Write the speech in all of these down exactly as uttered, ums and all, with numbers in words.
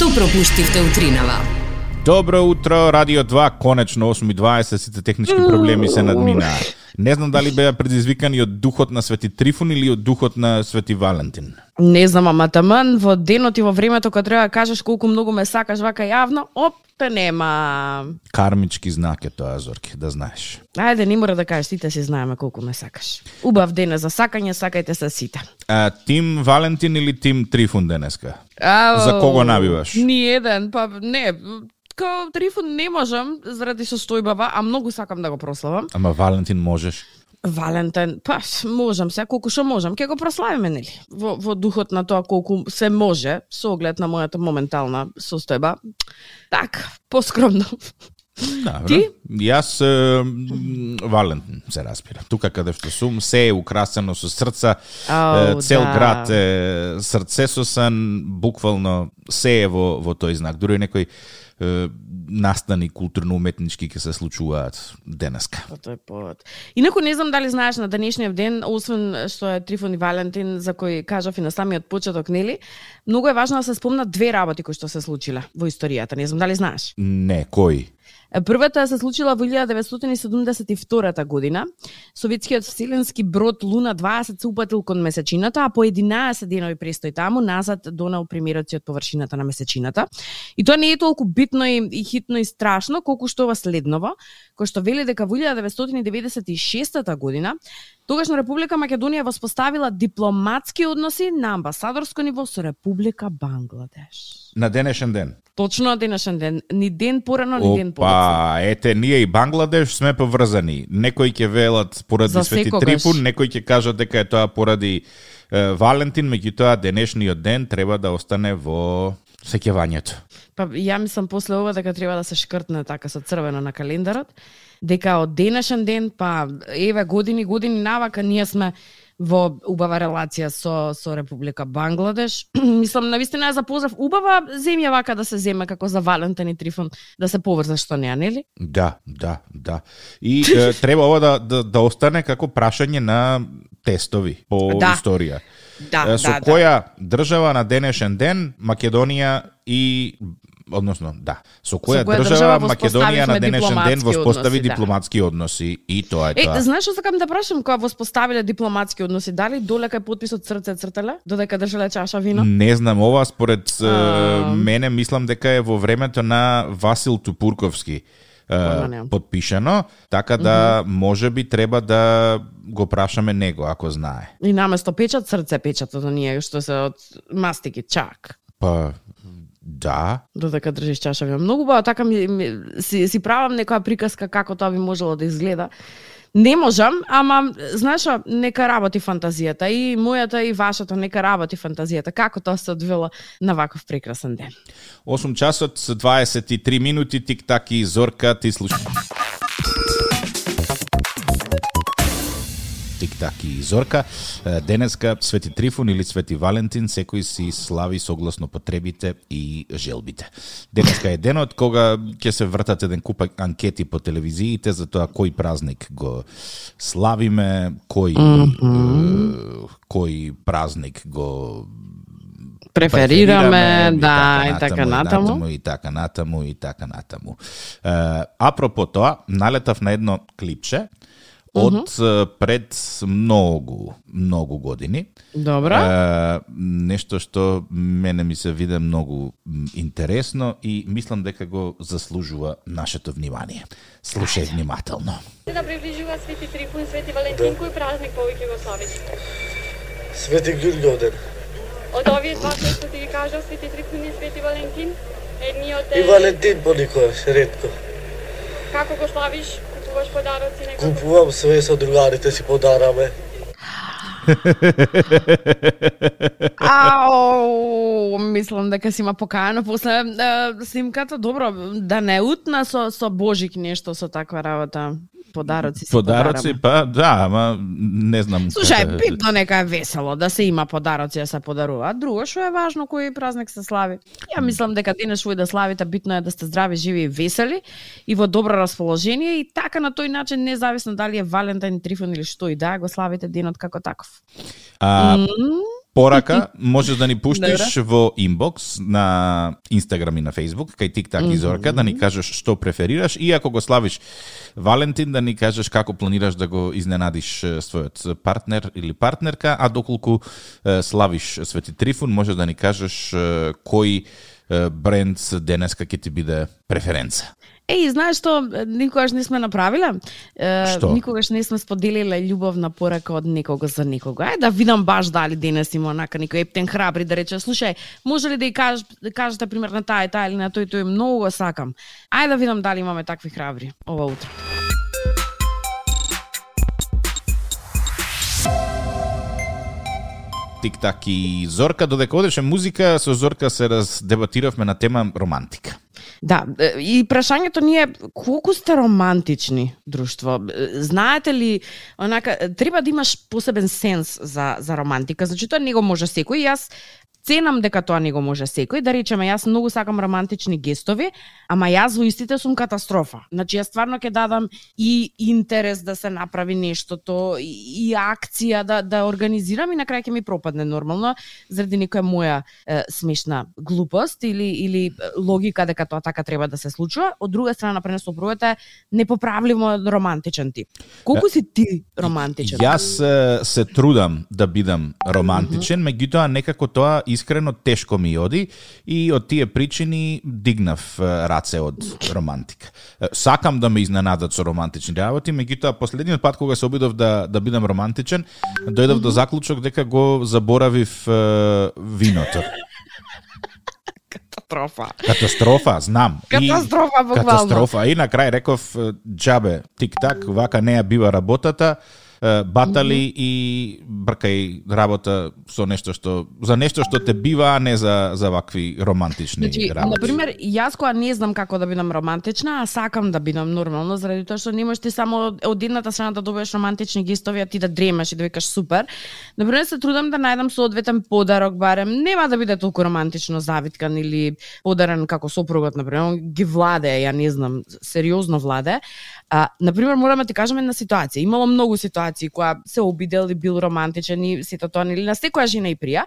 Што пропуштивте утринава? Добро утро, Радио два, конечно осум и дваесет, сите технички проблеми се надминаа. Не знам дали беа предизвикани од духот на Свети Трифун или од духот на Свети Валентин. Не знам, ама таман во денот и во времето кога треба да кажеш колку многу ме сакаш вака јавно, оп, те нема. Кармички знак е тоа, Зорки, да знаеш. Ајде, не мора да кажеш, сите си знаеме колку ме сакаш. Убав ден е за сакање, сакајте се сите. А, тим Валентин или тим Трифун денеска? Ау, За кого набиваш? Ни еден, па не, као Трифун не можам заради состојбава, а многу сакам да го прославам. Ама Валентин можеш? Валентин, па можам се, колку што можам, ќе го прославиме, нели? Во, во духот на тоа колку се може, со оглед на мојата моментална состојба. Так, поскромно. Добро. Ти? Јас е, Валентин се разбира. Тука каде што сум, се е украсено со срца, Ау, е, цел да. град е срцесосан, буквално се е во, во тој знак. Дури некој е, настани културно-уметнички ќе се случуваат денеска. По тој повод. Инаку не знам дали знаеш на денешниот ден, освен што е Трифун и Валентин, за кој кажав и на самиот почеток, нели? Многу е важно да се спомнат две работи кои што се случиле во историјата. Не знам дали знаеш. Не, кој? Првата се случила во илјада деветстотини седумдесет и втора година. Советскиот вселенски брод Луна дваесет се упатил кон месечината, а по единаесет денови престој таму назад донел премирот си од површината на месечината. И тоа не е толку битно и, и хитно и страшно колку што ова следново, кој што вели дека во илјада деветстотини деветдесет и шеста година тогашна Република Македонија воспоставила дипломатски односи на амбасадорско ниво со Република Бангладеш. На денешен ден. Точно на денешен ден. Ни ден порано, ни ден подоцна. Опа, ете, ние и Бангладеш сме поврзани. Некои ќе велат поради За Свети секогаш. Трифун, некои ќе кажат дека е тоа поради е, Валентин, меѓутоа денешниот ден треба да остане во сеќавањето. Па ја мислам после ова дека треба да се шкртне така со црвено на календарот, дека од денешен ден, па еве години, години навака ние сме во убава релација со со Република Бангладеш. Мислам навистина е за поздрав убава земја вака да се земе како за Валентин и Трифун да се поврза што неа, нели? Да, да, да. И е, треба ова да, да, да остане како прашање на тестови по Да. историја. Да, Е, со да, која држава на денешен ден Македонија и односно, да, со која, Со која држава, држава Македонија на воспоставивме денешен ден дипломатски воспостави односи, да. дипломатски односи и тоа е Е, тоа. знаеш што сакам да прашам, кога воспоставиле дипломатски односи, дали долека е потписот срце цртале, додека држале чаша вино? Не знам, ова според е, А. мене мислам дека е во времето на Васил Тупурковски е, Ама не. подпишано, така да можеби треба да го прашаме него ако знае. И наместо печат, срце печатот на ние, што се од мастики, чак. Па да, Додека држиш чаша вино. Многу бао, така ми, ми, си, си правам некоја приказка како тоа би можело да изгледа. Не можам, ама, знаеш, што, нека работи фантазијата. И мојата, и вашата, нека работи фантазијата. Како тоа се одвила на ваков прекрасен ден. осум часот дваесет и три минути, тик-так и Зорка, ти слушаш. Тик-так и Зорка. Денеска Свети Трифун или Свети Валентин, секој си слави согласно потребите и желбите. Денеска е денот кога ќе се вртат еден куп анкети по телевизиите за тоа кој празник го славиме, кој mm-hmm. кој празник го Преферираме, да, и така натаму. И така натаму, и така натаму. Uh, апропо тоа, налетав на едно клипче од uh -huh. пред многу, многу години. Добро. Uh, нешто што мене ми се виде многу интересно и мислам дека го заслужува нашето внимание. Слушај внимателно. Да приближува Свети Трифун, Свети Валентин, кој празник повеќе го славиш? Свети Ѓурѓовден. Од овие два кои што ти ги кажав, Свети Трифун и Свети Валентин, едниот е... И Валентин понекогаш, ретко. Како го славиш? Купуваш подароци некако? Купувам све со другарите си подараме. Ау, мислам дека си има покајано после е, снимката. Добро, да не утна со, со Божик нешто со таква работа. Подароци си Подароци, подараме. па да, ама не знам. Слушај, како- битно нека е весело да се има подароци да се подаруваат. Друго што е важно кој празник се слави. Ја мислам дека денес во да славите битно е да сте здрави, живи и весели и во добро расположение и така на тој начин независно дали е Валентин, Трифун или што и да, го славите денот како таков. А, М, порака можеш да ни пуштиш во инбокс на Инстаграм и на Фейсбук, кај Тик-так и Зорка, да ни кажеш што преферираш и ако го славиш Валентин, да ни кажеш како планираш да го изненадиш својот партнер или партнерка, а доколку славиш Свети Трифун, можеш да ни кажеш кој бренд денеска ќе ти биде преференца. Еј, знаеш што никогаш не сме направиле? Што? Никогаш не сме споделиле љубовна порака од некого за некого. Ај да видам баш дали денес има онака некој ептен храбри да рече, слушај, може ли да ја кажеш, да кажете пример на таа и таа или на тој тој, многу го сакам. Ај да видам дали имаме такви храбри ова утро. Тик-так и Зорка, додека одеше музика, со Зорка се раздебатиравме на тема романтика. Да, и прашањето ни е колку сте романтични друштво. Знаете ли, онака треба да имаш посебен сенс за за романтика, значи тоа не го може секој. Јас ценам дека тоа не го може секој, да речеме јас многу сакам романтични гестови, ама јас во истите сум катастрофа. Значи јас стварно ќе дадам и интерес да се направи нештото, и, и акција да да организирам и на крај ќе ми пропадне нормално заради некоја моја е, смешна глупост или или логика дека тоа така треба да се случува. Од друга страна, например, сопругата е непоправливо романтичен тип. Колку си ти романтичен? Јас е, се трудам да бидам романтичен, mm-hmm. меѓутоа некако тоа искрено тешко ми оди и од тие причини дигнав раце од романтика. Сакам да ме изненадат со романтични работи, меѓутоа последниот пат кога се обидов да да бидам романтичен, дојдов mm-hmm. до заклучок дека го заборавив е, виното. Катастрофа. Катастрофа, знам. Катастрофа, буквално. Катастрофа. И на крај реков, џабе, тик-так, вака не ја бива работата, батали mm-hmm. и бркај работа со нешто што за нешто што те бива, а не за за вакви романтични значи, работи. На пример, јас кога не знам како да бидам романтична, а сакам да бидам нормално, заради тоа што не можеш ти само од едната страна да добиеш романтични гестови, а ти да дремеш и да викаш супер. На пример, се трудам да најдам соодветен подарок, барем нема да биде толку романтично завиткан или подарен како сопругот, на пример, ги владе, ја не знам, сериозно владе. А, на пример, мораме да ти кажеме на ситуација. Имало многу ситуации која се обидел и бил романтичен и сето тоа, или на секоја жена и прија.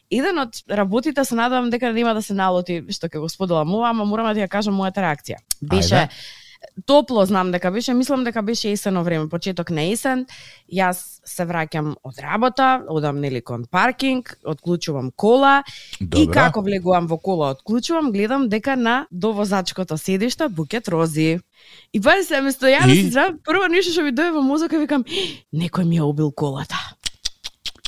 Еден од работите се надевам дека нема да се налоти што ќе го споделам ова, ама морам да ја кажам мојата реакција. Беше Ајде. Топло, знам дека беше, мислам дека беше есено време, почеток на есен. Јас се враќам од работа, одам нели кон паркинг, отклучувам кола. Добра. И како влегувам во кола, отклучувам, гледам дека на довозачкото седиште букет рози. И па се место ја да си здравам, прво нешто што ми дојде во мозока, викам, некој ми ја убил колата.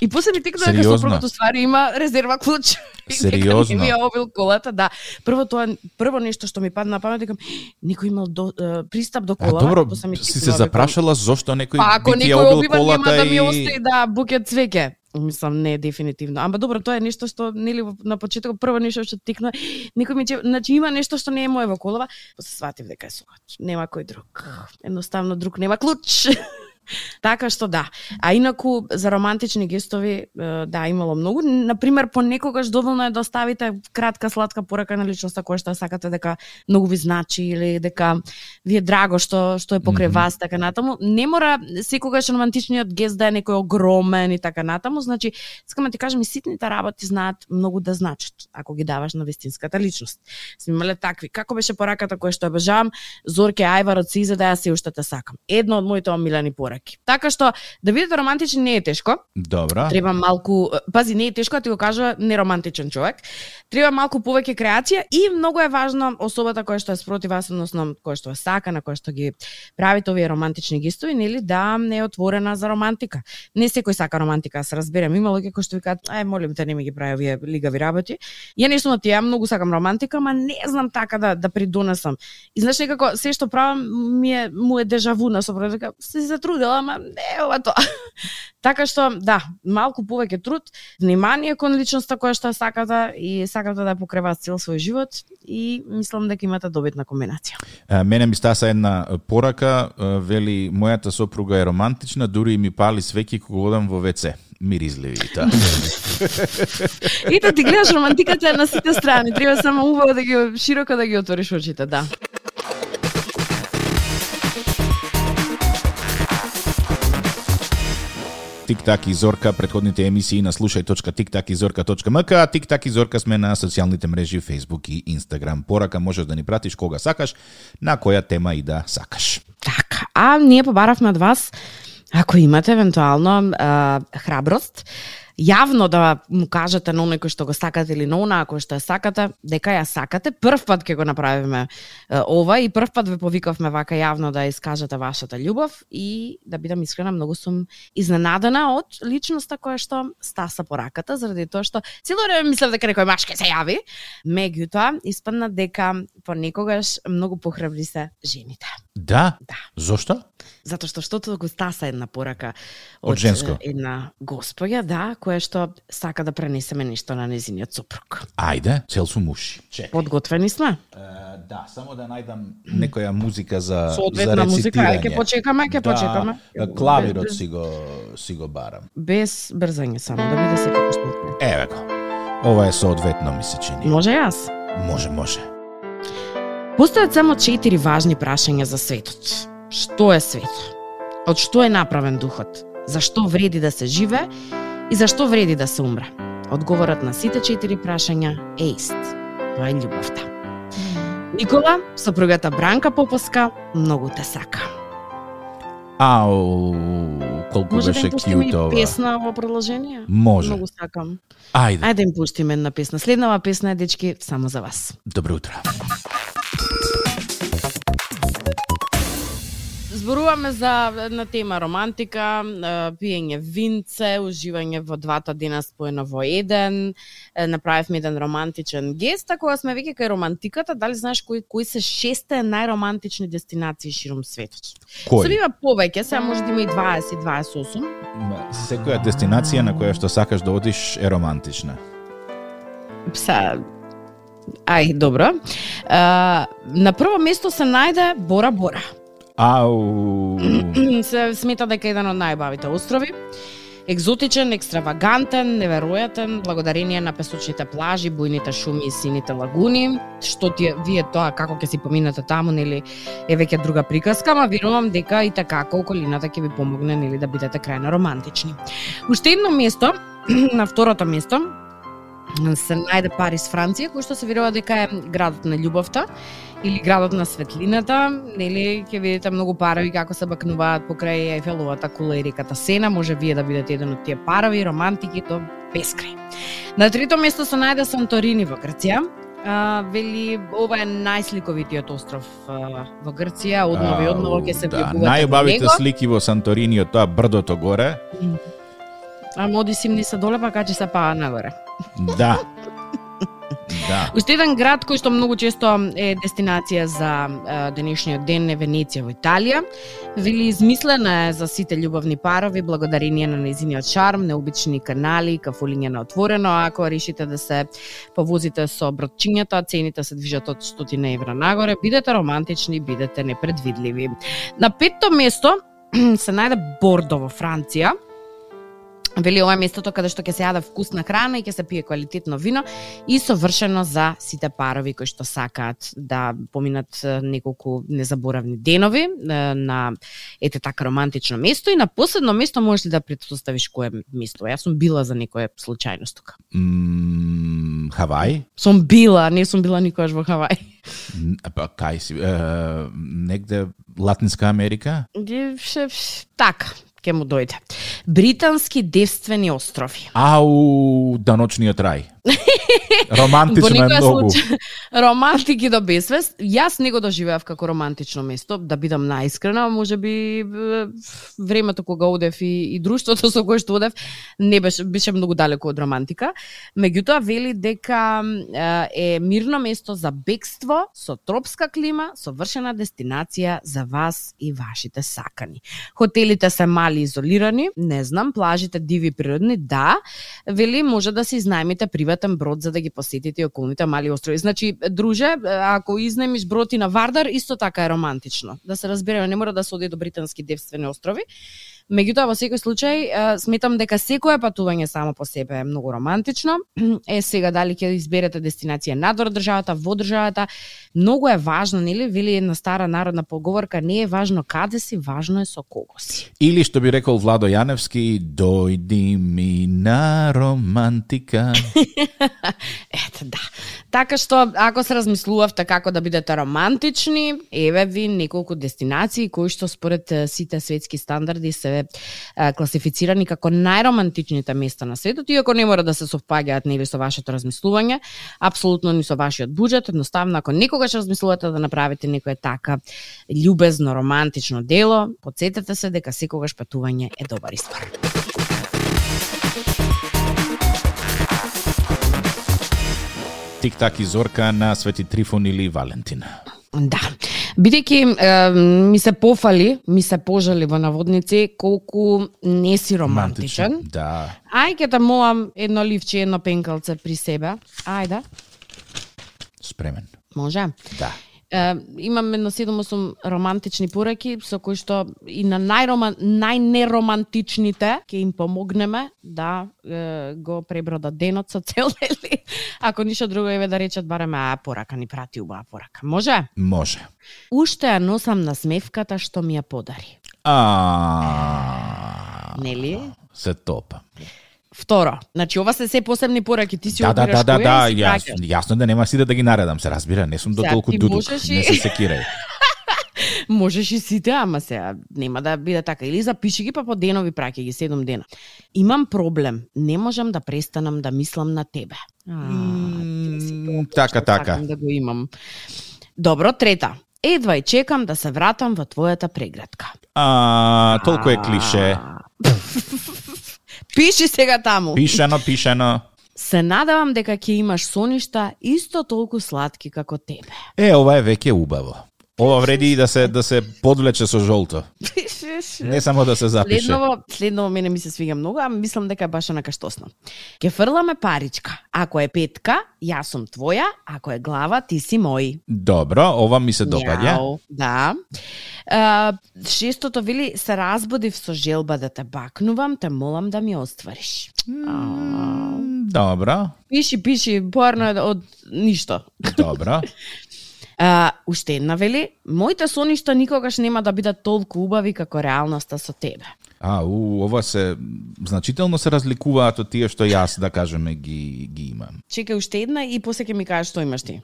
И после ми текна дека сопругот ствари има резерва клуч. Сериозно? Ми ја обил колата, да. Прво тоа прво нешто што ми падна на памет, викам, некој имал до, uh, пристап до колава. А добро, си се запрашала зошто некој па, би ти ја обил колата да и... ми остави да букет цвеќе. Мислам, не, дефинитивно. Ама добро, тоа е нешто што, нели, на почеток, прво нешто што тикна, некој ми че, значи има нешто што не е моје во колава, после сватив дека е согат. Нема кој друг. Едноставно друг нема клуч. Така што да. А инаку за романтични гестови, да, имало многу. Например, понекогаш доволно е да оставите кратка сладка порака на личноста која што сакате дека многу ви значи или дека ви е драго што што е покрај mm-hmm. вас, така натаму. Не мора секогаш романтичниот гест да е некој огромен и така натаму. Значи, сакам да ти кажам, и ситните работи знаат многу да значат ако ги даваш на вистинската личност. Сме имале такви. Како беше пораката која што обожавам? Зорке Ајвар од Сиза, да ја се уште те сакам. Едно од моите омилени пораки. Така што да бидете романтични не е тешко. Добра. Треба малку, пази, не е тешко, да ти го кажува неромантичен човек. Треба малку повеќе креација и многу е важно особата која што е спротив вас, односно која што е сака, на која што ги правите овие романтични гестови, нели, да не е отворена за романтика. Не секој сака романтика, се разберем. Има луѓе кои што викаат, ај молим те не ми ги прави овие лигави работи. Ја не сум од тие, многу сакам романтика, ама не знам така да да придонесам. И знаеш некако се што правам ми е му е дежаву на сопругот, дека се затрудила, ама не ова тоа. Така што, да, малку повеќе труд, внимание кон личноста која што сакате и сакате да покрива цел свој живот и мислам дека имате добитна комбинација. А, мене ми стаса една порака, вели, мојата сопруга е романтична, дури и ми пали свеќи кога одам во вце. Миризливи и тоа. И да ти гледаш романтиката на сите страни, треба само убаво да ги широко да ги отвориш очите, да. Тик-так и Зорка, претходните емисии на слушај точка тик так и зорка точка ем ка, а Тик-так и Зорка сме на социјалните мрежи Facebook и Instagram. Порака можеш да ни пратиш кога сакаш, на која тема и да сакаш. Така, а ние побаравме од вас, ако имате евентуално а, храброст, јавно да му кажете на оној кој што го сакате или на она кој што ја сакате, дека ја сакате. Прв пат ќе го направиме е, ова и прв пат ве повикавме вака јавно да искажете вашата љубов и да бидам искрена, многу сум изненадена од личноста која што стаса пораката, заради тоа што цело време мислев дека некој маж ќе се јави, меѓутоа испадна дека понекогаш многу похрабри се жените. Да? Да. Зошто? Затоа што штото го стаса една порака Од женско? една госпоја, да, која што сака да пренесеме нешто на незиниот сопруг. Ајде, цел сум уши. Чекај. Подготвени сме? Uh, да, само да најдам некоја музика за Соодветна за музика, рецитирање. ќе почекаме, ќе да, почекаме. Клавирот Без- си го си го барам. Без брзање само, да биде секако што. Еве го. Ова е соодветно ми се чини. Може јас? Може, може. Постојат само четири важни прашања за светот. Што е светот? Од што е направен духот? Зашто вреди да се живе и зашто вреди да се умре? Одговорот на сите четири прашања е ист. Тоа е љубовта. Никола, сопругата Бранка Поповска, многу те сака. Ау, колку Може да беше им пуштиме кјут и ова. песна во продолжение? Може. Многу сакам. Ајде. Ајде да им пуштиме една песна. Следнава песна е, дечки, само за вас. Добро утро. Зборуваме за една тема романтика, е, пиење винце, уживање во двата дена споено во еден. Е, Направивме еден романтичен гест, а кога сме веќе кај романтиката, дали знаеш кои кои се шесте најромантични дестинации ширум светот? Се Кој? бива повеќе, сега може да има и дваесет дваесет и осум. Ма, секоја дестинација на која што сакаш да одиш е романтична. Са, ај, добро. Е, на прво место се најде Бора Бора. Ау. Се смета дека е еден од најбавите острови. Екзотичен, екстравагантен, неверојатен, благодарение на песочните плажи, бујните шуми и сините лагуни. Што ти вие тоа како ќе си поминете таму, нели е веќе друга приказка, ама верувам дека и така околината ќе ви помогне, нели, да бидете крајно романтични. Уште едно место, на второто место, се најде Париз, Франција, кој што се верува дека е градот на љубовта или градот на светлината, нели ќе видите многу парави како се бакнуваат покрај Ефеловата кула и реката Сена, може вие да бидете еден од тие парави романтики до бескрај. На трето место се најде Санторини во Грција. А, вели ова е најсликовитиот остров а, во Грција, одново и одново ќе се да, влегувате во најубавите него. слики во Санторини од тоа брдото горе. А моди симни се доле, па качи се паа нагоре. Да. Да. Уште еден град кој што многу често е дестинација за е, денешниот ден е Венеција во Италија. Вели измислена е за сите љубовни парови благодарение на нејзиниот шарм, необични канали, кафулиња на отворено. Ако решите да се повозите со бродчињата, цените се движат од стотина евра нагоре. Бидете романтични, бидете непредвидливи. На петто место се најде Бордо во Франција. Вели ова е местото каде што ќе се јаде вкусна храна и ќе се пие квалитетно вино и совршено за сите парови кои што сакаат да поминат е, неколку незаборавни денови е, на ете така романтично место. И на последно место можеш ли да претпоставиш кое место? Јас сум била за некоја случајност тука. М, Хавај? Сум била, не сум била никогаш во Хавај. Н- Па кај си? Е, негде Латинска Америка? Ди- ше- ш- Така, ќе му дојде. Британски девствени острови. Ау, даночниот рај. Во Романтично е некоја многу. случај, романтики до безвест. Јас не го доживеав како романтично место, да бидам најискрена, може би е, времето кога одев и, и друштвото со кое што одев не беше беше многу далеко од романтика. Меѓутоа вели дека е, е мирно место за бегство, со тропска клима, совршена дестинација за вас и вашите сакани. Хотелите се мали и изолирани, не знам, плажите диви природни, да. Вели може да се изнајмите приватен брод за да ги посетите и околните мали острови. Значи, друже, ако изнајмиш брод и на Вардар, исто така е романтично. Да се разбереме, не мора да се оди до британски девствени острови. Меѓутоа во секој случај сметам дека секое патување само по себе е многу романтично. Е сега дали ќе изберете дестинација надвор државата, во државата, многу е важно, нели? Вели една стара народна поговорка, не е важно каде си, важно е со кого си. Или што би рекол Владо Јаневски, дојди ми на романтика. Ете, да. Така што, ако се размислувавте како да бидете романтични, еве ви неколку дестинации кои што според сите светски стандарди се е, класифицирани како најромантичните места на светот, иако не мора да се совпаѓаат нели со вашето размислување, апсолутно ни со вашиот буџет, едноставно ако некогаш размислувате да направите некое така љубезно романтично дело, потсетете се дека секогаш патување е добар избор. Тик-так и Зорка на Свети Трифон или Валентин. Да. Бидејќи е, ми се пофали, ми се пожали во наводници колку не си романтичен. Романтичен, да. Ај ќе те молам едно ливче, едно пенкалце при себе. Ајде. Спремен. Може? Да. Е, имам едно седум-осум романтични пораки со кои што и на најроман, најнеромантичните ќе им помогнеме да е, го пребродат денот со цел дели. Ако ништо друго еве да речат барем а порака ни прати убава порака. Може? Може. Уште ја носам на смевката што ми ја подари. А. Нели? Се топа. Второ, значи ова се се посебни пораки, ти си Да, да, обираш да, да, која да, и си јас, праќаш. јасно да нема сите да ги наредам, се разбира, не сум до Сега, толку ти дудук, можеш и- не се секирај. Можеш и сите, ама сега нема да биде така. Или запиши ги па по денови праќај ги седум дена. Имам проблем, не можам да престанам да мислам на тебе. А, ти си М, тоа така, што така. сакам да го имам. Добро, трета. Едва и чекам да се вратам во твојата преградка. А, толку е клише. Пиши сега таму. Пишано, пишано. Се надевам дека ќе имаш соништа исто толку сладки како тебе. Е, ова е веќе убаво. Ова вреди и да се да се подвлече со жолто. Не само да се запише. Следново, следново мене ми се свига многу, а мислам дека е баш онака штосно. Ке фрламе паричка. Ако е петка, јас сум твоја, ако е глава, ти си мој. Добро, ова ми се допаѓа. Јау, да. А, шестото вели, се разбудив со желба да те бакнувам, те молам да ми оствариш. А, Добро, Пиши, пиши, порно е од ништо. добро. А, уште една вели, моите соништа никогаш нема да бидат толку убави како реалноста со тебе. А, у, ова се значително се разликуваат од тие што јас, да кажеме, ги ги имам. Чекај уште една и после ќе ми кажеш што имаш ти.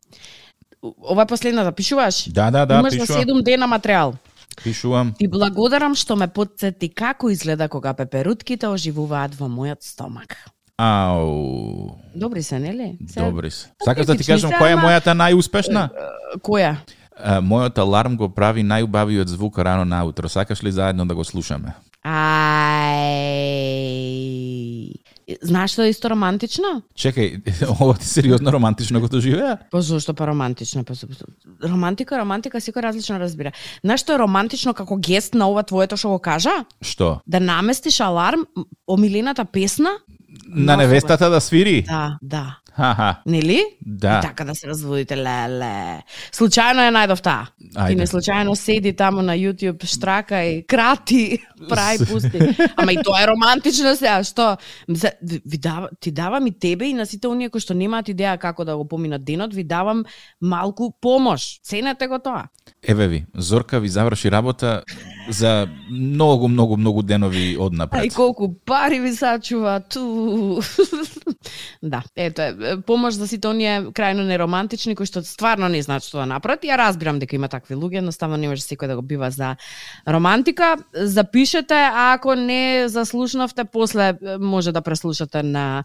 Ова е последната, пишуваш? Да, да, да, Имаш за пишувам. седум дена материјал. Пишувам. Ти благодарам што ме потсети како изгледа кога пеперутките оживуваат во мојот стомак. Ау. Добри се, нели? Се- Добри се. Сакаш да ти типични кажам се, која е ама- мојата најуспешна? Која? А, мојот аларм го прави најубавиот звук рано наутро. Сакаш ли заедно да го слушаме? Ај. Знаеш што е исто романтично? Чекај, ова ти сериозно романтично го доживеа? Па зошто па романтично? Па, романтика, романтика, секој различно разбира. Знаеш што е романтично како гест на ова твоето што го кажа? Што? Да наместиш аларм, омилената песна? На невестата да свири? Да, да. Ха-ха. Нели? Да. И така да се разводите, леле. Случајно е најдов таа. Ајде. Ти не случајно седи таму на YouTube, штрака и крати, прави пусти. Ама и тоа е романтично сега, што? Мисля, ви дава, ти давам и тебе и на сите оние кои што немаат идеја како да го поминат денот, ви давам малку помош. Ценете го тоа. Еве ви, Зорка ви заврши работа за многу, многу, многу денови А и однапред. колку пари ви сачува ту. Да, ето е, помош за сите оние крајно неромантични кои што стварно не знаат што да направат. Ја разбирам дека има такви луѓе, едноставно не може секој да го бива за романтика. Запишете, а ако не заслушнавте, после може да преслушате на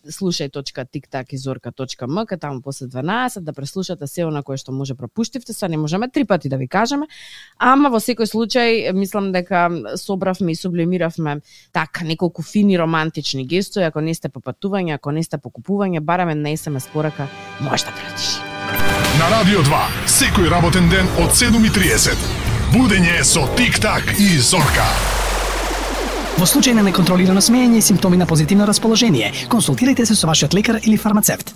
слушај точка тик так и зорка точка ем ка, таму после дванаесет, да преслушате се она кое што може пропуштивте, са не можеме три пати да ви кажеме, ама во секој случај мислам дека собравме и сублимиравме така неколку фини романтични гестови. Ако не сте по патување, ако не сте по купување, бараме на ес ем ес порака, може да пратиш. На Радио два, секој работен ден од седум и триесет. Будење со Тик-так и Зорка. Во случај на неконтролирано смеење и симптоми на позитивно расположение, консултирајте се со вашиот лекар или фармацевт.